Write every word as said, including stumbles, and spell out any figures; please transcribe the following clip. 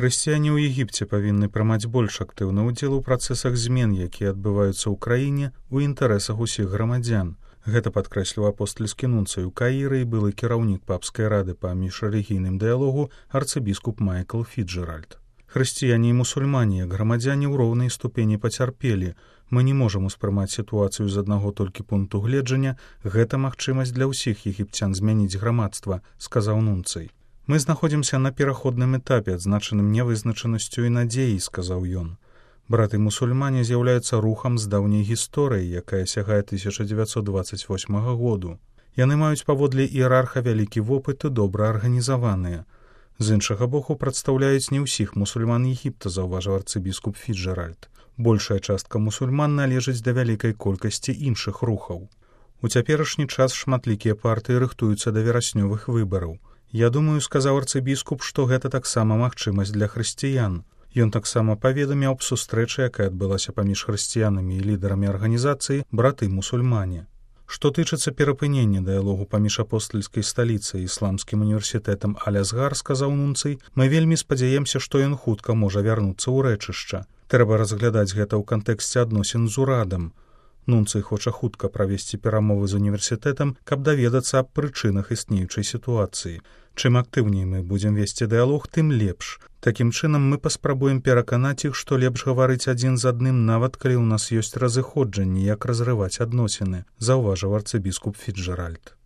Хрысціяне ў Егіпце павінны прымаць больш актыўны ўдзел у працэсах змен, якія адбываюцца ў краіне ў інтарэсах усіх грамадзян. Гэта падкрэсліў апостальскі нунцый у Каіры і былы кіраўнік папскай рады па міжрэлігійным дыялогу арцыбіскуп Майкл Фіджэральд. Хрысціяне і мусульмане, як грамадзяне, ў роўнай ступені пацярпелі. Мы не можам успрымаць сітуацыю з аднаго толькі пункту гледжання. Гэта магчымасць для ўсіх егіпцян змяніць грамадства, сказаў нунцый. Мы знаходзімся на пераходным этапе, адзначаным нявызначанасцю і надзеяй, сказаў ён. Браты-мусульмане з'яўляюцца рухам з даўняй гісторыяй, якая сягае тысяча дзевяцьсот дваццаць восьмага году. Яны маюць паводле іерарха вялікі вопыт і добра арганізаваныя. З іншага боку, прадстаўляюць не ўсіх мусульман Егіпта, заўважыў арцыбіскуп Фіджэральд. Большая частка мусульман належыць да вялікай колькасці іншых рухаў. У цяперашні час шматлікія партыі рыхтуюцца да вераснёвых выбараў. Я думаю, сказаў арцыбіскуп, што гэта таксама магчымасць для хрысціян. Ён таксама паведаміў аб сустрэчы, якая адбылася паміж хрысціянамі і лідарамі арганізацыі браты-мусульмане. Што тычыцца перапынення дыялогу паміж апостальскай сталіцай і ісламскім універсітэтам Аль-Азгар, сказаў нунцый, мы вельмі спадзяемся, што ён хутка можа вярнуцца ў рэчышча. Трэба разглядаць гэта ў кантэксце адносін з урадам. Нунцый хоча хутка правесці перамовы з універсітэтам, каб даведацца аб прычынах існеючай сітуацыі. Чым актыўней мы будзем весці дыялог, тым лепш. Такім чынам мы паспрабуем пераканаць іх, што лепш гаварыць адзін з адным, нават калі ў нас ёсць разыходжанні, як разрываць адносіны, заўважыў арцыбіскуп Фіджэральд.